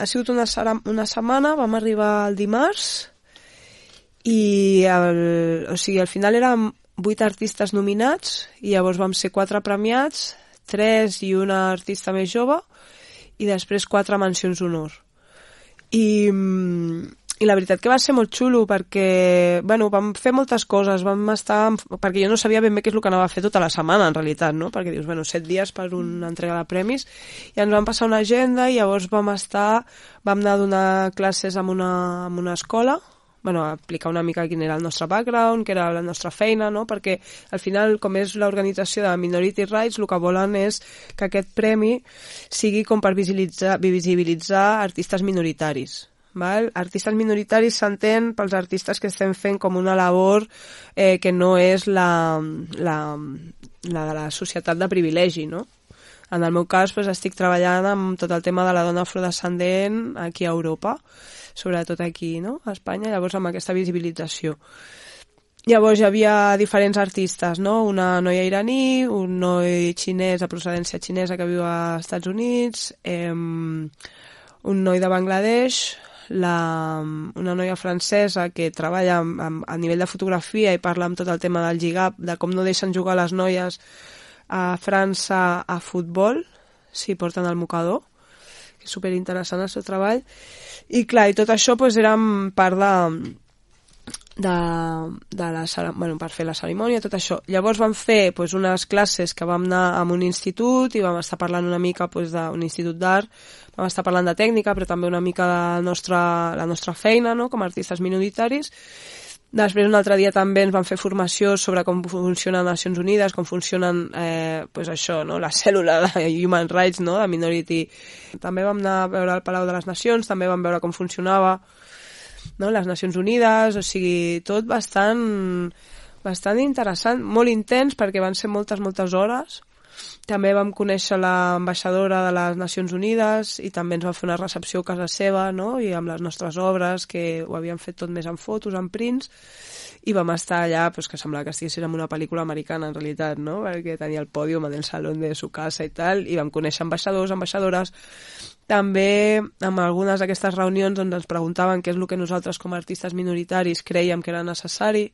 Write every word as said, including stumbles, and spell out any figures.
ha sigut una, una setmana, vam arribar el dimarts i el, o sigui, al final érem vuit artistes nominats i llavors vam ser quatre premiats, tres i una artista més jove i després quatre mencions d'honor. I, i la veritat que va ser molt xulo perquè, bueno, vam fer moltes coses, vam estar, perquè jo no sabia ben bé què és el que anava a fer tota la setmana en realitat, no? Perquè dius, bueno, set dies per una entrega de premis i ens vam passar una agenda i llavors vam estar, vam anar a donar classes en una, en una escola, bueno, a explicar una mica quin era el nostre background, què era la nostra feina, no? Perquè al final, com és l'organització de Minority Rights, el que volen és que aquest premi sigui com per visibilitzar, visibilitzar artistes minoritaris. Val? Artistes minoritaris s'entén pels artistes que estem fent com una labor eh, que no és la, la, la de la societat de privilegi, no? En el meu cas, pues, estic treballant amb tot el tema de la dona afrodescendent aquí a Europa, sobretot aquí, no?, a Espanya, llavors amb aquesta visibilització. Llavors hi havia diferents artistes, no?, una noia iraní, un noi xinès de procedència xinesa que viu als Estats Units, eh, un noi de Bangladesh, la, una noia francesa que treballa amb, amb, a nivell de fotografia i parla amb tot el tema del hijab, de com no deixen jugar les noies a França a futbol, si porten el mocador, que és superinteressant el seu treball. I clar, i tot això pues, era part de, de, de la, bueno, per fer la cerimònia, tot això. Llavors vam fer pues, unes classes que vam anar a un institut i vam estar parlant una mica pues, d'un institut d'art, vam estar parlant de tècnica, però també una mica de la nostra, la nostra feina, no?, com a artistes minoritaris. Després, un altre dia també ens van fer formació sobre com funcionen Nacions Unides, com funcionen, eh, pues això, no?, la cèl·lula de Human Rights, no?, de Minority. També vam anar a veure el Palau de les Nacions, també vam veure com funcionava, no?, les Nacions Unides, o sigui, tot bastant, bastant interessant, molt intens, perquè van ser moltes, moltes hores. També vam conèixer l'ambaixadora de les Nacions Unides i també ens va fer una recepció a casa seva, no?, i amb les nostres obres, que ho havíem fet tot més en fotos, en prints, i vam estar allà, pues, que semblava que estiguéssim en una pel·lícula americana, en realitat, no?, perquè tenia el pòdium en el saló de su casa i tal, i vam conèixer ambaixadors, ambaixadores. També, amb algunes d'aquestes reunions on ens preguntaven què és el que nosaltres com a artistes minoritaris creiem que era necessari,